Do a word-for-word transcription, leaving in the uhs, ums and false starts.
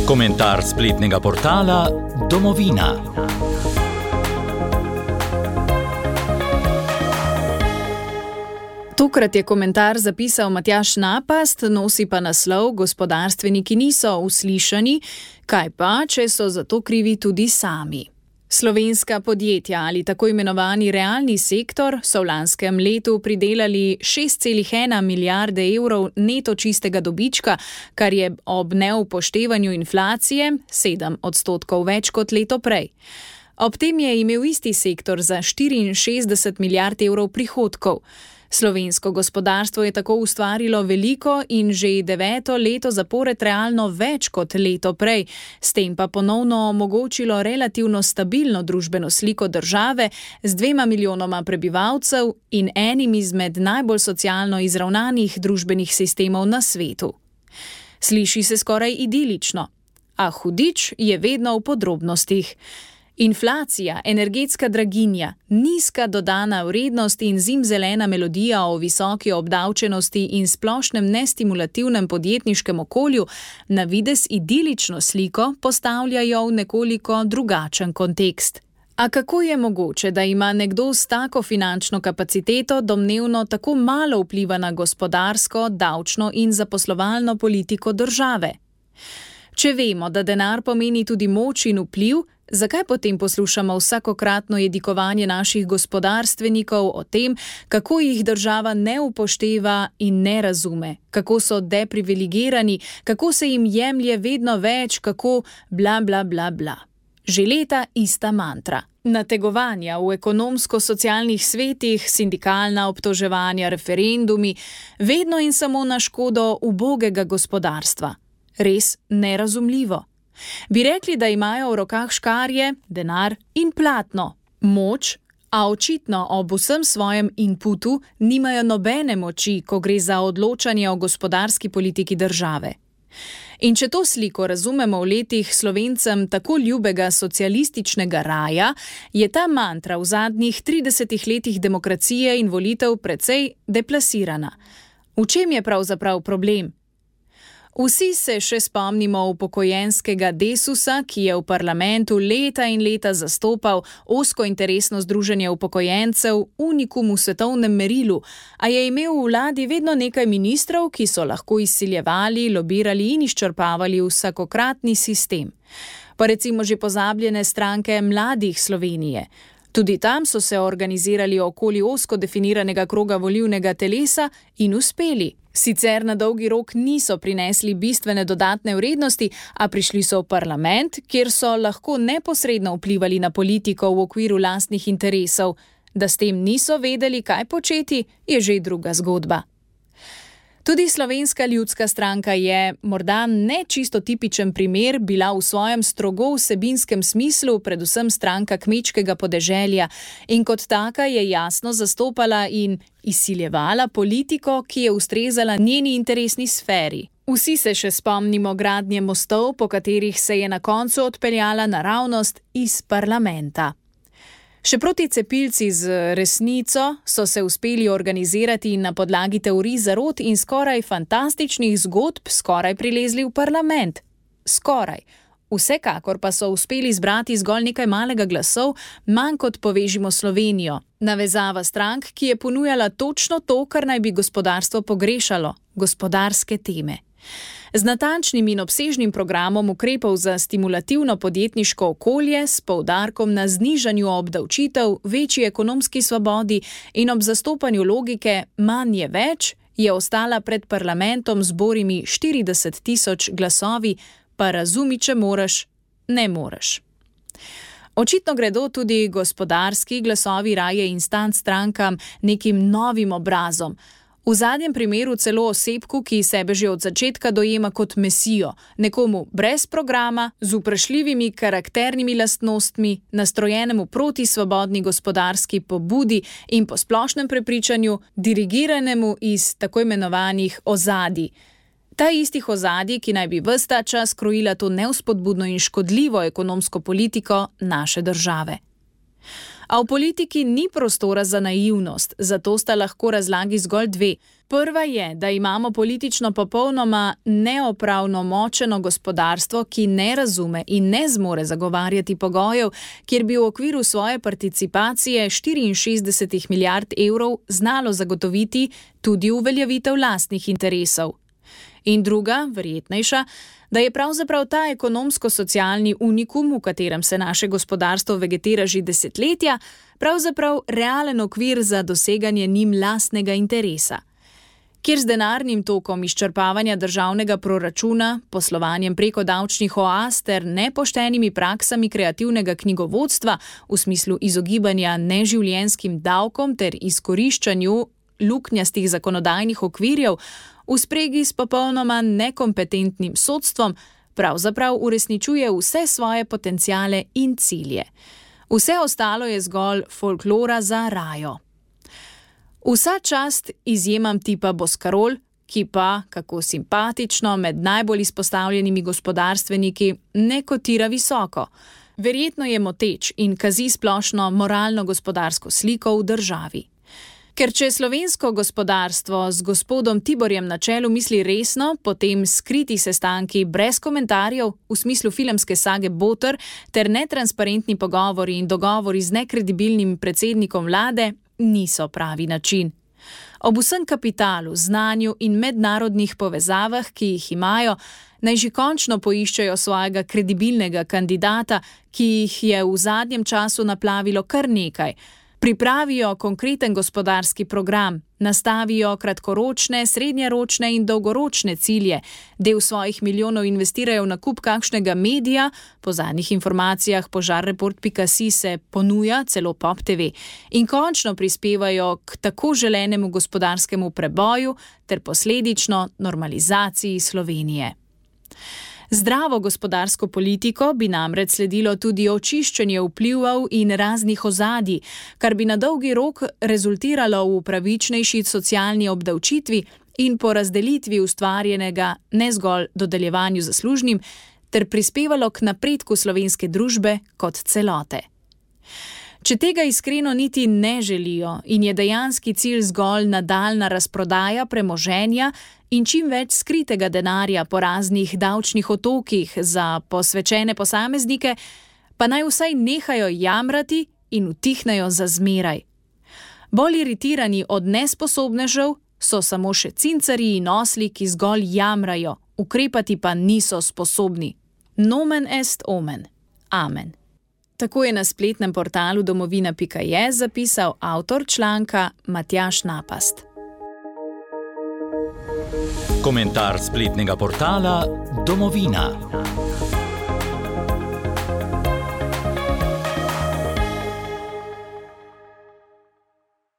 Komentar spletnega portala Domovina. Tokrat je komentar zapisal Matjaž Napast, nosi pa naslov Gospodarstveniki niso uslišani, kaj pa, če so za to krivi tudi sami. Slovenska podjetja ali tako imenovani realni sektor so v lanskem letu pridelali šest celih ena milijarde evrov neto čistega dobička, kar je ob neupoštevanju inflacije sedem odstotkov več kot leto prej. Ob tem je imel isti sektor za štiriinšestdeset milijard evrov prihodkov. Slovensko gospodarstvo je tako ustvarilo veliko in že deveto leto zapored realno več kot leto prej, s tem pa ponovno omogočilo relativno stabilno družbeno sliko države z dvema milijonoma prebivalcev in enim izmed najbolj socialno izravnanih družbenih sistemov na svetu. Sliši se skoraj idilično, a hudič je vedno v podrobnostih. Inflacija, energetska draginja, nizka dodana vrednost in zimzelena melodija o visoki obdavčenosti in splošnem nestimulativnem podjetniškem okolju na videz idilično sliko postavljajo v nekoliko drugačen kontekst. A kako je mogoče, da ima nekdo s tako finančno kapaciteto domnevno tako malo vpliva na gospodarsko, davčno in zaposlovalno politiko države? Če vemo, da denar pomeni tudi moč in vpliv, zakaj potem poslušamo vsakokratno jedikovanje naših gospodarstvenikov o tem, kako jih država ne upošteva in ne razume, kako so deprivilegirani, kako se jim jemlje vedno več, kako bla bla bla bla. Že leta ista mantra. Nategovanja v ekonomsko-socialnih svetih, sindikalna obtoževanja, referendumi, vedno in samo na škodo ubogega gospodarstva. Res nerazumljivo. Bi rekli, da imajo v rokah škarje, denar in platno, moč, a očitno ob vsem svojem inputu nimajo nobene moči, ko gre za odločanje o gospodarski politiki države. In če to sliko razumemo v letih Slovencem tako ljubega socialističnega raja, je ta mantra v zadnjih tridesetih letih demokracije in volitev precej deplasirana. V čem je pravzaprav problem? Vsi se še spomnimo upokojenskega Desusa, ki je v parlamentu leta in leta zastopal ozko interesno združenje upokojencev, unikum v svetovnem merilu, a je imel v vladi vedno nekaj ministrov, ki so lahko izsiljevali, lobirali in izčrpavali vsakokratni sistem. Pa recimo že pozabljene stranke Mladih Slovenije. Tudi tam so se organizirali okoli ozko definiranega kroga volilnega telesa in uspeli. Sicer na dolgi rok niso prinesli bistvene dodatne vrednosti, a prišli so v parlament, kjer so lahko neposredno vplivali na politiko v okviru lastnih interesov. Da s tem niso vedeli, kaj početi, je že druga zgodba. Tudi Slovenska ljudska stranka je, morda ne čisto tipičen primer, bila v svojem strogo vsebinskem smislu predvsem stranka kmečkega podeželja in kot taka je jasno zastopala in izsiljevala politiko, ki je ustrezala njeni interesni sferi. Vsi se še spomnimo gradnje mostov, po katerih se je na koncu odpeljala naravnost iz parlamenta. Še proti cepilci z resnico so se uspeli organizirati in na podlagi teorij zarot in skoraj fantastičnih zgodb skoraj prilezli v parlament. Skoraj. Vsekakor pa so uspeli zbrati zgolj nekaj malega glasov, manj kot Povežimo Slovenijo. Navezava strank, ki je ponujala točno to, kar naj bi gospodarstvo pogrešalo, gospodarske teme. Z natančnim in obsežnim programom ukrepov za stimulativno podjetniško okolje s poudarkom na znižanju obdavčitev, večji ekonomski svobodi in ob zastopanju logike manj je več, je ostala pred parlamentom z borimi štirideset tisoč glasovi, pa razumi, če moraš, ne moreš. Očitno gredo tudi gospodarski glasovi raje instant strankam nekim novim obrazom. V zadnjem primeru celo osebku, ki sebe že od začetka dojema kot mesijo, nekomu brez programa, z vprašljivimi karakternimi lastnostmi, nastrojenemu proti svobodni gospodarski pobudi in po splošnem prepričanju dirigiranemu iz tako imenovanih ozadij. Ta istih ozadij, ki naj bi ves ta čas krojila to nevspodbudno in škodljivo ekonomsko politiko naše države. A v politiki ni prostora za naivnost, zato sta lahko razlagi zgolj dve. Prva je, da imamo politično popolnoma neopravnomočeno gospodarstvo, ki ne razume in ne zmore zagovarjati pogojev, kjer bi v okviru svoje participacije štiriinšestdeset milijard evrov znalo zagotoviti tudi uveljavitev lastnih interesov. In druga, verjetnejša, da je pravzaprav ta ekonomsko-socialni unikum, v katerem se naše gospodarstvo vegetira že desetletja, pravzaprav realen okvir za doseganje njim lastnega interesa. Kjer z denarnim tokom izčrpavanja državnega proračuna, poslovanjem preko davčnih oaz ter nepoštenimi praksami kreativnega knjigovodstva v smislu izogibanja neživljenjskim davkom ter izkoriščanju luknjastih zakonodajnih okvirjev, v spregi s popolnoma nekompetentnim sodstvom, pravzaprav uresničuje vse svoje potenciale in cilje. Vse ostalo je zgolj folklora za rajo. Vsa čast izjemam tipa Boscarol, ki pa, kako simpatično, med najbolj izpostavljenimi gospodarstveniki ne kotira visoko. Verjetno je moteč in kazi splošno moralno-gospodarsko sliko v državi. Ker če slovensko gospodarstvo z gospodom Tiborjem na čelu misli resno, potem skriti sestanki brez komentarjev v smislu filmske sage Boter ter netransparentni pogovori in dogovori z nekredibilnim predsednikom vlade niso pravi način. Ob vsem kapitalu, znanju in mednarodnih povezavah, ki jih imajo, naj že končno poiščejo svojega kredibilnega kandidata, ki jih je v zadnjem času naplavilo kar nekaj. Pripravijo konkreten gospodarski program, nastavijo kratkoročne, srednjeročne in dolgoročne cilje, del svojih milijonov investirajo v nakup kakšnega medija, po zadnjih informacijah požarreport pika si se ponuja celo Pop T V, in končno prispevajo k tako želenemu gospodarskemu preboju ter posledično normalizaciji Slovenije. Zdravo gospodarsko politiko bi namreč sledilo tudi očiščenje vplivov in raznih ozadij, kar bi na dolgi rok rezultiralo v pravičnejši socialni obdavčitvi in porazdelitvi ustvarjenega ne zgolj dodeljevanju zaslužnim, ter prispevalo k napredku slovenske družbe kot celote. Če tega iskreno niti ne želijo in je dejanski cilj zgolj nadaljnja razprodaja premoženja in čim več skritega denarja po raznih davčnih otokih za posvečene posameznike, pa naj vsaj nehajo jamrati in utihnejo za zmeraj. Bolj iritirani od nesposobnežev so samo še cincarji in osli, ki zgolj jamrajo, ukrepati pa niso sposobni. Nomen est omen. Amen. Tako je na spletnem portalu domovina pika je zapisal avtor članka Matjaž Napast. Komentar spletnega portala Domovina.